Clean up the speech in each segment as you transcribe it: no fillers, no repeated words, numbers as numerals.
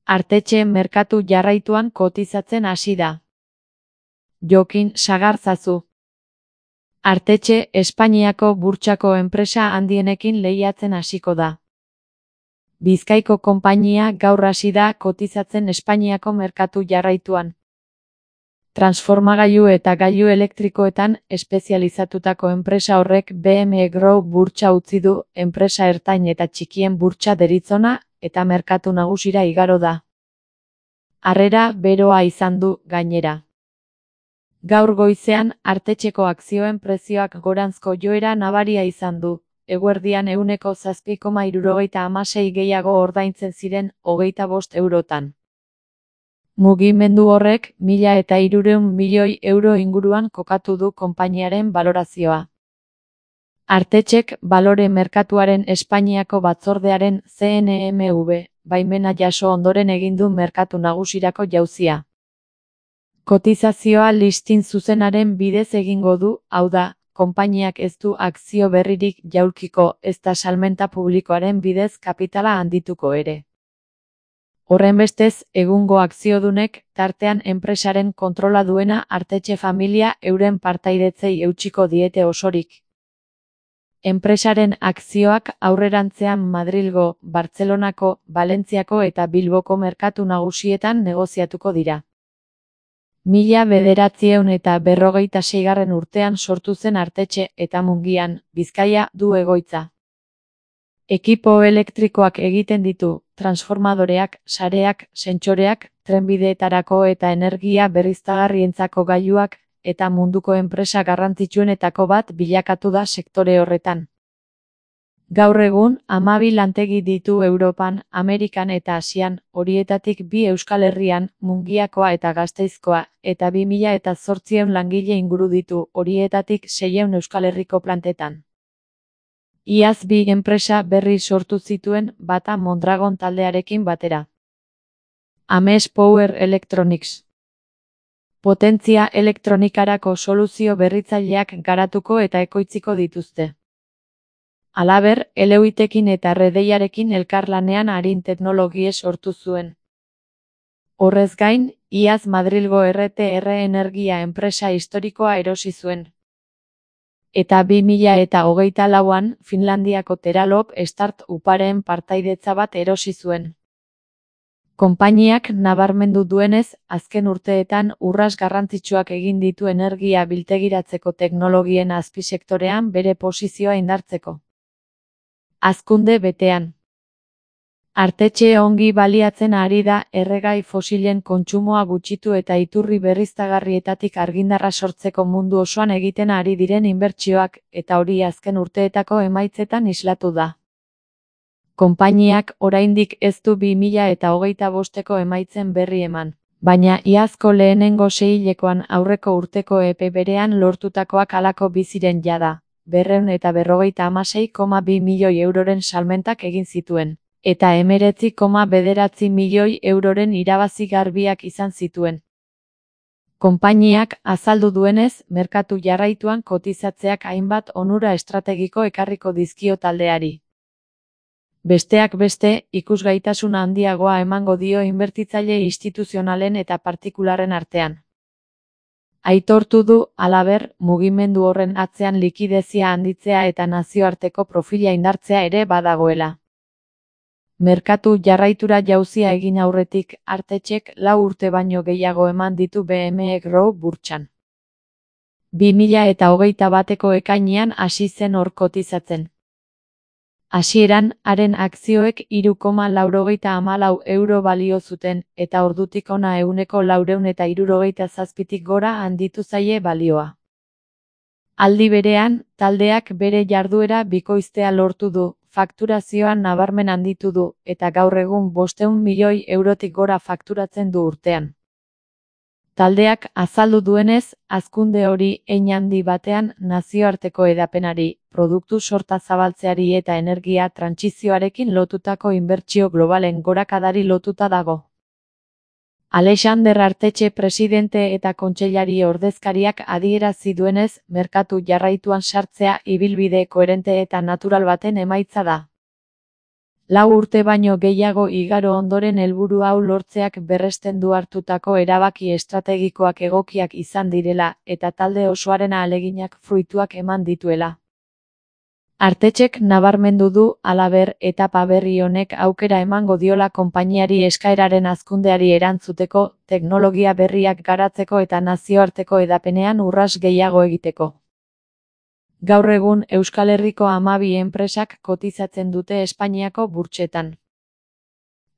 Artetxe merkatu jarraituan kotizatzen hasi da. Jokin Sagarzazu. Artetxe Espainiako burtsako enpresa handienekin lehiatzen hasiko da. Bizkaiko konpainia gaur hasi da kotizatzen Espainiako merkatu jarraituan. Transformagailu eta gailu elektrikoetan espezializatutako enpresa horrek BM Group burtsa utzi du, enpresa ertain eta txikien burtsa deritzona eta merkatu nagusira igaro da. Harrera beroa izan du, gainera. Gaur goizean, Artetxeko akzioen prezioak goranzko joera nabaria izan du, eguerdian 7,76 gehiago ordaintzen ziren 25 eurotan. Mugimendu horrek 1.300 milioi euro inguruan kokatu du konpainiaren balorazioa. Artetxek balore merkatuaren Espainiako batzordearen CNMV baimena jaso ondoren egin du merkatu nagusirako jauzia. Kotizazioa listin zuzenaren bidez egingo du, hau da, konpainiak ez du akzio berririk jaulkiko ezta salmenta publikoaren bidez kapitala handituko ere. Horrenbestez, egungo akziodunek, tartean enpresaren kontrola duena Artetxe familia euren partaidetzei eutsiko diete osorik. Enpresaren akzioak aurrerantzean Madrilgo, Bartzelonako, Valentziako eta Bilboko merkatu nagusietan negoziatuko dira. 1946 urtean sortu zen Artetxe eta Mungian, Bizkaia, du egoitza. Ekipo elektrikoak egiten ditu, transformadoreak, sareak, sentsoreak, trenbideetarako eta energia berriztagarrientzako gailuak, eta munduko enpresa garrantzitsuenetako bat bilakatu da sektore horretan. Gaur egun, 12 lantegi ditu Europan, Amerikan eta Asian, horietatik 2 Euskal Herrian, Mungiakoa eta Gasteizkoa, eta 2800 langile inguru ditu, horietatik 600 Euskal Herriko plantetan. Iaz 2 enpresa berri sortu zituen, bata Mondragon taldearekin batera. Ames Power Electronics. Potentzia elektronikarako soluzio berritzaileak garatuko eta ekoitziko dituzte. Halaber, Eleuitekin eta Redeiarekin elkarlanean arin teknologie sortu zuen. Horrez gain, iaz Madrilgo RTR Energia enpresa historikoa erosi zuen. Eta 2024an, Finlandiako Teralop Start-uparen partaidetza bat erosi zuen. Konpainiak nabarmendu duenez, azken urteetan urras garrantzitsuak egin ditu energia biltegiratzeko teknologien azpisektorean bere posizioa indartzeko. Hazkunde betean. Artetxe ongi baliatzen ari da erregai fosilen kontsumoa gutxitu eta iturri berriztagarrietatik argindarra sortzeko mundu osoan egiten ari diren inbertsioak, eta hori azken urteetako emaitzetan islatu da. Konpainiak oraindik ez du 2025eko emaitzen berri eman, baina iazko lehenengo seihilekoan aurreko urteko epe berean lortutakoak halako biziren jada, 256,2 milioi euroren salmentak egin zituen, eta 19,9 milioi euroren irabazi garbiak izan zituen. Konpainiak azaldu duenez, merkatu jarraituan kotizatzeak hainbat onura estrategiko ekarriko dizkio taldeari. Besteak beste, ikusgaitasuna handiagoa emango dio inbertitzaile instituzionalen eta partikularren artean. Aitortu du, halaber, mugimendu horren atzean likidezia handitzea eta nazioarteko profila indartzea ere badagoela. Merkatu jarraitura jauzia egin aurretik, Artetxek 4 urte baino gehiago eman ditu BM Group burtsan. 2021eko ekainean hasi zen hor kotizatzen. Hasieran, haren akzioek 3,94 euro balio zuten, eta ordutik hona 467tik gora handitu zaie balioa. Aldi berean, taldeak bere jarduera bikoiztea lortu du, fakturazioa nabarmen handitu du, eta gaur egun 500 milioi eurotik gora fakturatzen du urtean. Taldeak azaldu duenez, hazkunde hori hein handi batean nazioarteko hedapenari, produktu sorta zabaltzeari eta energia trantsizioarekin lotutako inbertsio globalen gorakadari lotuta dago. Alexander Artetxe presidente eta kontseilari ordezkariak adierazi duenez, merkatu jarraituan sartzea ibilbide koherente eta natural baten emaitza da. 4 urte baino gehiago igaro ondoren helburu hau lortzeak berresten du hartutako erabaki estrategikoak egokiak izan direla, eta talde osoaren ahaleginak fruituak eman dituela. Artetxek nabarmendu du, halaber, etapa berri honek aukera emango diola konpainiari eskaeraren hazkundeari erantzuteko, teknologia berriak garatzeko eta nazioarteko hedapenean urrats gehiago egiteko. Gaur egun, Euskal Herriko 12 enpresak kotizatzen dute Espainiako burtsetan.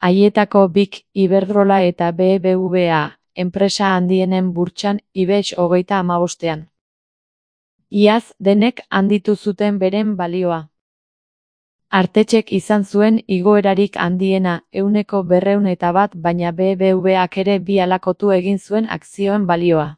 Haietako BIK, Iberdrola eta BBVA, enpresa handienen burtsan IBEX 35ean. Iaz, denek handitu zuten beren balioa. Artetxek izan zuen igoerarik handiena, 101%, baina BBVAk ere bi halakotu egin zuen akzioen balioa.